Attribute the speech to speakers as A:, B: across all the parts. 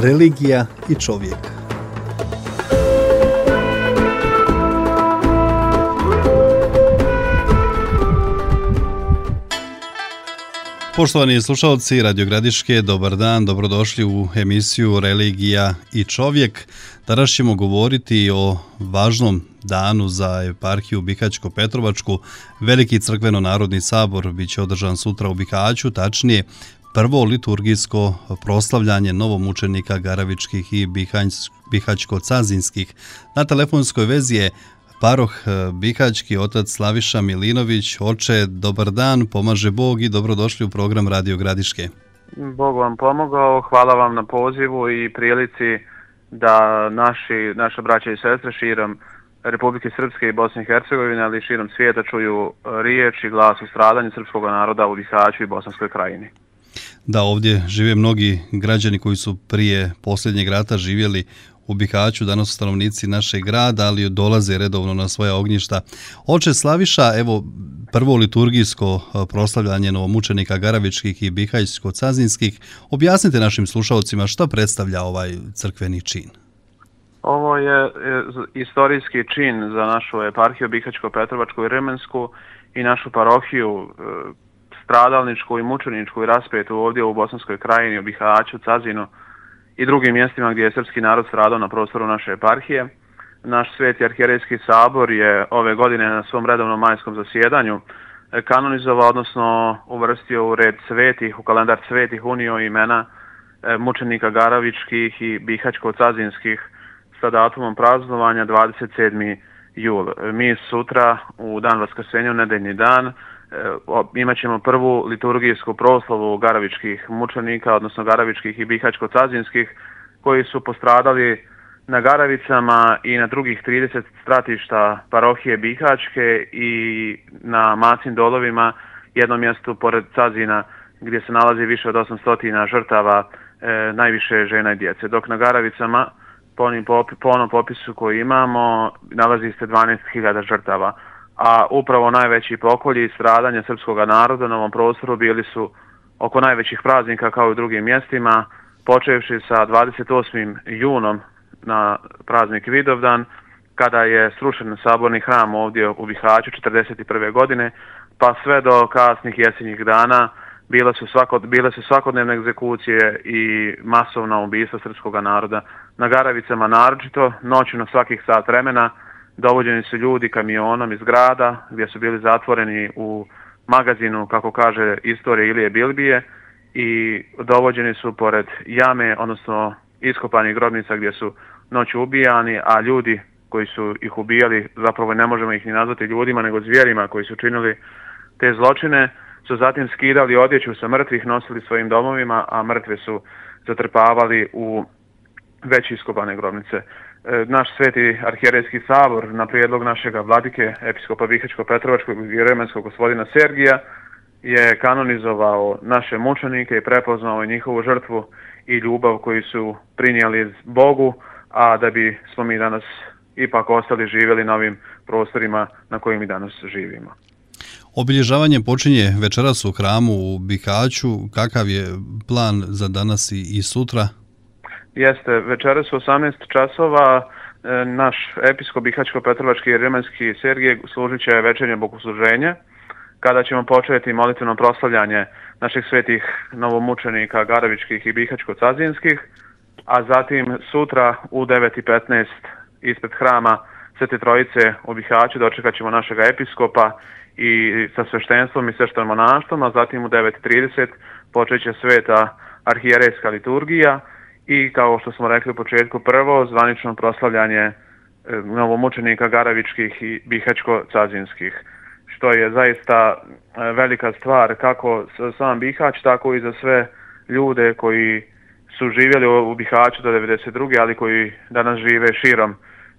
A: religija i čovjek. Poštovani slušalci Radio Gradiške, dobar dan, dobrodošli u emisiju Religija i čovjek. Danas ćemo govoriti o važnom danu za eparhiju Bihaćko-Petrovačku. Veliki crkveno-narodni sabor bit će održan sutra u Bihaću, tačnije prvo liturgijsko proslavljanje novomučenika Garavičkih i Bihaćko-Cazinskih. Na telefonskoj vezi je paroh Bihaćki, otac Slaviša Milinović. Oče, dobar dan, pomaže Bog i dobrodošli u program Radio Gradiške.
B: Bog vam pomogao, hvala vam na pozivu i prilici da naša braća i sestre širom Republike Srpske i Bosne i Hercegovine, ali i širom svijeta čuju riječ i glas o stradanju srpskog naroda u Bihaću i Bosanskoj krajini.
A: Da, ovdje žive mnogi građani koji su prije posljednjeg rata živjeli u Bihaću, danas su stanovnici našeg grada, ali dolaze redovno na svoja ognjišta. Oče Slaviša, evo prvo liturgijsko proslavljanje novomučenika Garavičkih i Bihaćko-Cazinskih. Objasnite našim slušalcima šta predstavlja ovaj crkveni čin.
B: Ovo je istorijski čin za našu eparhiju Bihaćko-Petrovačku i Rimensku i našu parohiju stradalničku i mučeničku i raspetu ovdje u Bosanskoj krajini, u Bihaću, Cazinu i drugim mjestima gdje je srpski narod stradao na prostoru naše eparhije. Naš sveti arhijerejski sabor je ove godine na svom redovnom majskom zasjedanju kanonizovao, odnosno uvrstio u red svetih, u kalendar svetih, unio imena mučenika Garavičkih i Bihaćko-Cazinskih sa datumom praznovanja 27. jul. Mi sutra u dan Vaskrsenja, nedeljni dan, imat ćemo prvu liturgijsku proslavu Garavičkih mučenika, odnosno Garavičkih i Bihaćko-Cazinskih, koji su postradali na Garavicama i na drugih 30 stratišta parohije Bihaćke i na Macin dolovima, jednom mjestu pored Cazina gdje se nalazi više od 800 žrtava, najviše žena i djece. Dok na Garavicama, po onom popisu koji imamo, nalazi se 12.000 žrtava. A upravo najveći pokolji i stradanja srpskog naroda na ovom prostoru bili su oko najvećih praznika kao i u drugim mjestima, počevši sa 28. junom na praznik Vidovdan, kada je srušen saborni hram ovdje u Bihaću 1941. godine, pa sve do kasnih jesenjih dana bile su svakodnevne egzekucije i masovna ubistva srpskog naroda. Na Garavicama naročito, noću na svakih sat vremena, dovođeni su ljudi kamionom iz grada gdje su bili zatvoreni u magazinu, kako kaže istorija Ilije Bilbije, i dovođeni su pored jame, odnosno iskopanih grobnica gdje su noću ubijani, a ljudi koji su ih ubijali, zapravo ne možemo ih ni nazvati ljudima, nego zvijerima koji su činili te zločine, su zatim skidali odjeću sa mrtvih, nosili svojim domovima, a mrtve su zatrpavali u već iskopane grobnice. Naš sveti arhijerejski sabor na prijedlog našega vladike, episkopa Bihaćko-Petrovačkog i Remenskog gospodina Sergija, je kanonizovao naše mučenike i prepoznao njihovu žrtvu i ljubav koju su prinijeli Bogu, a da bi smo mi danas ipak ostali živjeli na ovim prostorima na kojim mi danas živimo.
A: Obilježavanje počinje večeras u hramu u Bihaću. Kakav je plan za danas i sutra?
B: Jeste, večeras u 18 časova naš episkop Bihaćko-Petrovački i Rimenski Sergij služit će večernje bogosluženje, kada ćemo početi molitveno proslavljanje naših svetih novomučenika Garavičkih i Bihaćko-Cazinskih, a zatim sutra u 9:15 ispred hrama Svete Trojice u Bihaću dočekat ćemo našega episkopa i sa sveštenstvom i sveštenom monaštvom, a zatim u 9:30 počet će sveta arhijerejska liturgija i, kao što smo rekli u početku, prvo zvanično proslavljanje novomučenika Garavičkih i Bihaćko-Cazinskih, što je zaista velika stvar kako za sam Bihać, tako i za sve ljude koji su živjeli u Bihaću do 1992. ali koji danas žive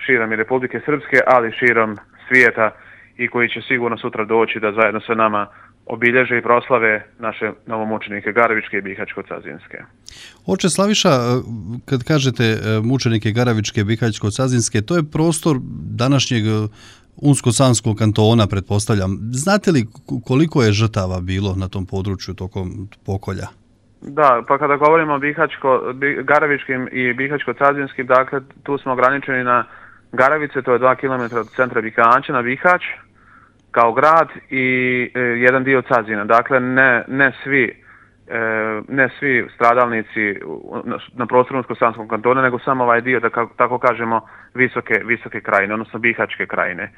B: širom i Republike Srpske, ali širom svijeta i koji će sigurno sutra doći da zajedno sa nama obilježe i proslave naše novomučenike Garavičke i Bihaćko-Cazinske.
A: Oče Slaviša, kad kažete mučenike Garavičke i Bihaćko-Cazinske, to je prostor današnjeg Unsko-Sanskog kantona, pretpostavljam. Znate li koliko je žrtava bilo na tom području tokom pokolja?
B: Da, pa kada govorimo o Garavičkim i Bihaćko-Cazinskim, dakle tu smo ograničeni na Garavice, to je 2 km od centra Bihaća na Bihać kao grad i jedan dio Cazina. Dakle, ne svi stradalnici na prostoru Unsko-Sanskog kantona, nego samo ovaj dio, da tako kažemo, visoke krajine, odnosno Bihaćke krajine.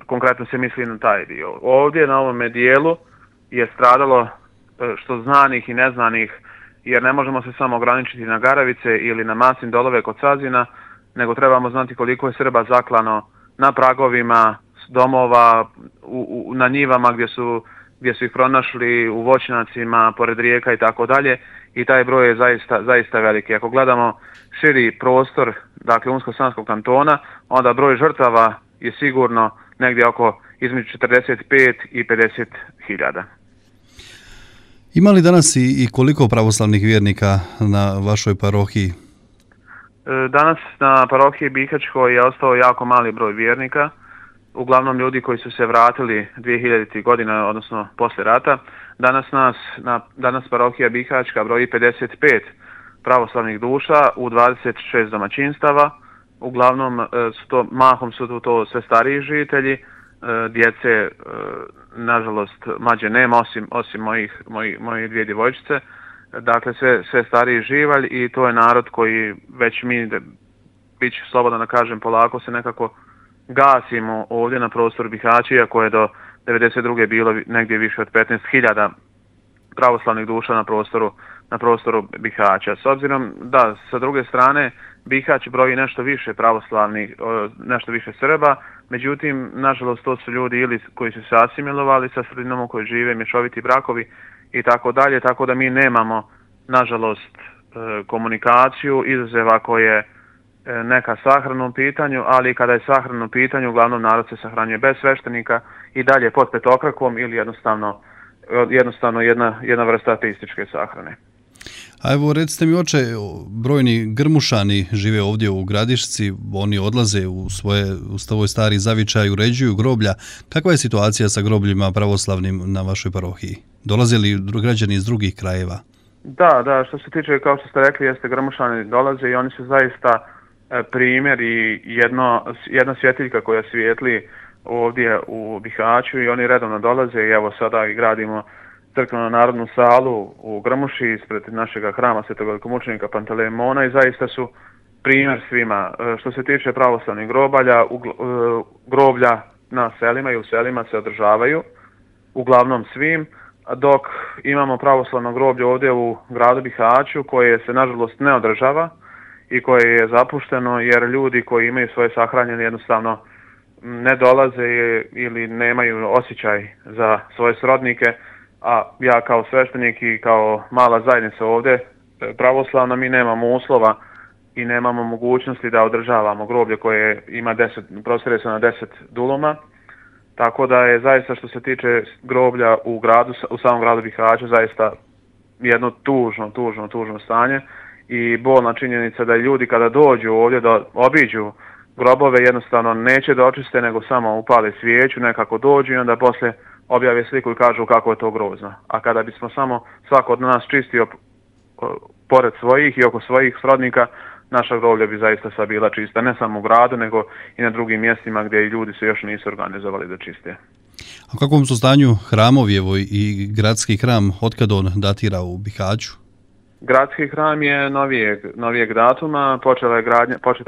B: Konkretno se misli na taj dio. Ovdje na ovome dijelu je stradalo što znanih i neznanih, jer ne možemo se samo ograničiti na Garavice ili na Masin dolove kod Cazina, nego trebamo znati koliko je Srba zaklano na pragovima domova, na njivama gdje su ih pronašli, u voćnjacima, pored rijeka i tako dalje, i taj broj je zaista veliki. Ako gledamo širi prostor, dakle Unsko-Sanskog kantona, onda broj žrtava je sigurno negdje oko između 45 i 50 hiljada.
A: Ima li danas i koliko pravoslavnih vjernika na vašoj parohiji?
B: Danas na parohiji Bihaćkoj je ostao jako mali broj vjernika, uglavnom ljudi koji su se vratili 2000. godina, odnosno poslije rata. Danas parohija Bihaćka broji 55 pravoslavnih duša u 26 domaćinstava. Uglavnom mahom su to sve stariji žitelji, djece nažalost mlađe nema, osim moje dvije djevojčice. Dakle, sve stariji živalj, i to je narod koji već mi, bit ću slobodno da kažem, polako se nekako gasimo ovdje na prostoru Bihaća, iako je do 1992. bilo negdje više od 15.000 pravoslavnih duša na prostoru Bihaća. S obzirom da sa druge strane Bihać broji nešto više pravoslavnih, nešto više Srba, međutim, nažalost, to su ljudi ili koji su se asimilovali sa sredinom u kojoj žive, mješoviti brakovi i tako dalje, tako da mi nemamo, nažalost, komunikaciju, izuzev ako je neka sahrana u pitanju, ali kada je sahrana u pitanju, uglavnom narod se sahranjuje bez sveštenika i dalje pod petokrakom ili jednostavno jedna vrsta ateističke sahrane.
A: A evo, recite mi, oče, brojni Grmušani žive ovdje u Gradišci, oni odlaze u svoj stari zavičaj, uređuju groblja. Kakva je situacija sa grobljima pravoslavnim na vašoj parohiji? Dolaze li građani iz drugih krajeva?
B: Da, što se tiče, kao što ste rekli, jeste Grmušani dolaze i oni su zaista primjer i jedna svjetiljka koja svijetli ovdje u Bihaću, i oni redovno dolaze, i evo sada i gradimo crkvenu narodnu salu u Grmuši ispred našega hrama svetog velikomučenika Pantelejmona, i zaista su primjer svima. Što se tiče pravoslavnih groblja na selima i u selima se održavaju, uglavnom svim, dok imamo pravoslavno groblje ovdje u gradu Bihaću koje se nažalost ne održava i koje je zapušteno, jer ljudi koji imaju svoje sahranjene jednostavno ne dolaze ili nemaju osjećaj za svoje srodnike, a ja kao sveštenik i kao mala zajednica ovdje pravoslavna, mi nemamo uslova i nemamo mogućnosti da održavamo groblje koje ima prostire se na 10 duluma, tako da je zaista, što se tiče groblja u samom gradu Bihaću, zaista jedno tužno stanje i bolna činjenica da ljudi kada dođu ovdje da obiđu grobove jednostavno neće da očiste, nego samo upale svijeću, nekako dođu i onda poslije objave sliku i kažu kako je to grozno. A kada bismo samo svako od nas čistio pored svojih i oko svojih srodnika, naša groblja bi zaista sva bila čista, ne samo u gradu, nego i na drugim mjestima gdje i ljudi se još nisu organizovali da čiste.
A: A u kakvom su stanju hramovi, evo i gradski hram, otkad on datira u Bihaću?
B: Gradski hram je novijeg datuma, početa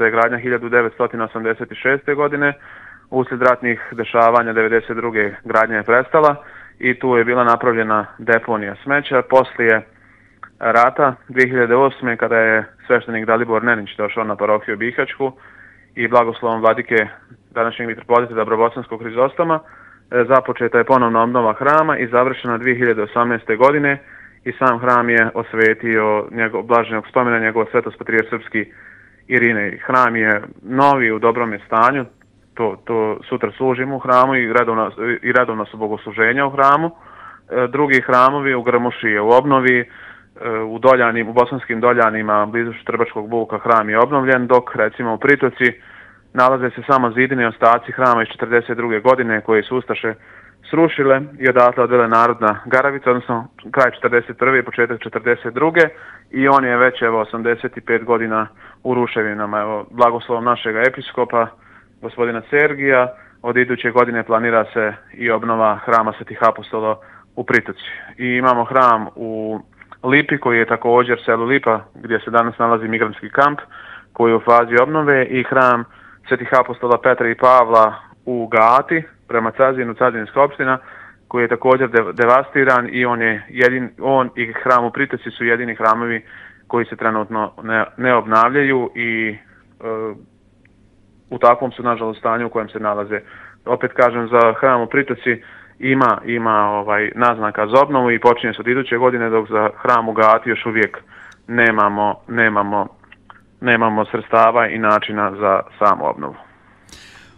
B: je gradnja 1986. godine, uslijed ratnih dešavanja 1992. gradnja je prestala i tu je bila napravljena deponija smeća. Poslije rata 2008. kada je sveštenik Dalibor Nenić došao na parohiju Bihaćku i blagoslovom vladike današnjeg mitropolita Dabrobosanskog Hrizostoma, započeta je ponovna obnova hrama i završena 2018. godine i sam hram je osvetio blaženog spomena njegov svetost patrijarh srpski Irinej. Hram je novi, u dobrom je stanju, to sutra služimo u hramu i redovno su bogosluženja u hramu. Drugi hramovi u Grmuši je u obnovi, u Bosanskim Doljanima blizu Štrbačkog Buka hram je obnovljen, dok recimo u Pritoci nalaze se samo zidini ostaci hrama iz 1942. godine koje su ustaše srušile i odatle odvele narod na Garavicu, odnosno kraj 41. i početak 42. I on je već 85 godina u ruševinama. Evo, blagoslovom našeg episkopa, gospodina Sergija, od iduće godine planira se i obnova hrama Svetih apostola u Pritoci. I imamo hram u Lipi koji je također selu Lipa gdje se danas nalazi migrantski kamp koji je u fazi obnove i hram Svetih apostola Petra i Pavla u Gati prema Cazinu, Cazinska opština koji je također devastiran i on i hram u Pritoci su jedini hramovi koji se trenutno ne obnavljaju i u takvom su nažalost stanju u kojem se nalaze. Opet kažem, za hram u Pritoci ima naznaka za obnovu i počinje se od iduće godine, dok za hram u Gati još uvijek nemamo sredstava i načina za samu obnovu.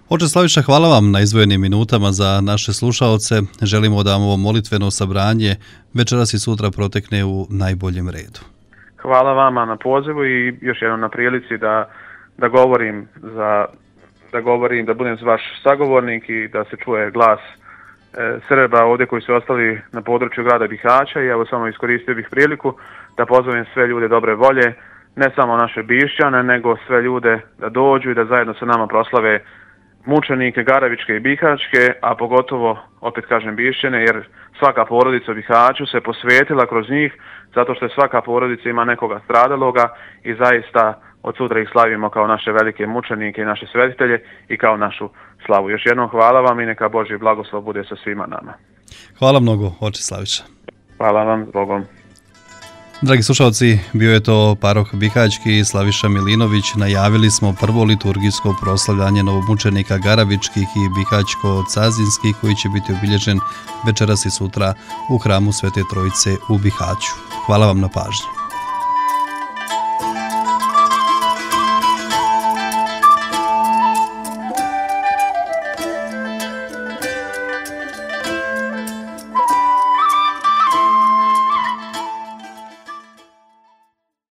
A: Oče Slaviša, hvala vam na izdvojenim minutama za naše slušaoce. Želimo da vam ovo molitveno sabranje večeras i sutra protekne u najboljem redu.
B: Hvala vama na pozivu i još jednom na prilici da govorim, da budem vaš sagovornik i da se čuje glas Srba ovdje koji su ostali na području grada Bihaća. I evo samo iskoristio bih priliku da pozovem sve ljude dobre volje, ne samo naše Bišćane, nego sve ljude da dođu i da zajedno sa nama proslave mučenike Garavičke i Bihaćke, a pogotovo, opet kažem, Bišćane, jer svaka porodica u Bihaću se posvetila kroz njih, zato što je svaka porodica ima nekoga stradaloga i zaista od sutra ih slavimo kao naše velike mučenike i naše svetitelje i kao našu slavu. Još jednom hvala vam i neka Božji blagoslov bude sa svima nama.
A: Hvala mnogo, oče Slaviša.
B: Hvala vam, s Bogom.
A: Dragi slušalci, bio je to paroh Bihaćki Slaviša Milinović. Najavili smo prvo liturgijsko proslavljanje novomučenika Garavičkih i Bihaćko-Cazinskih koji će biti obilježen večeras i sutra u hramu Svete Trojice u Bihaću. Hvala vam na pažnji.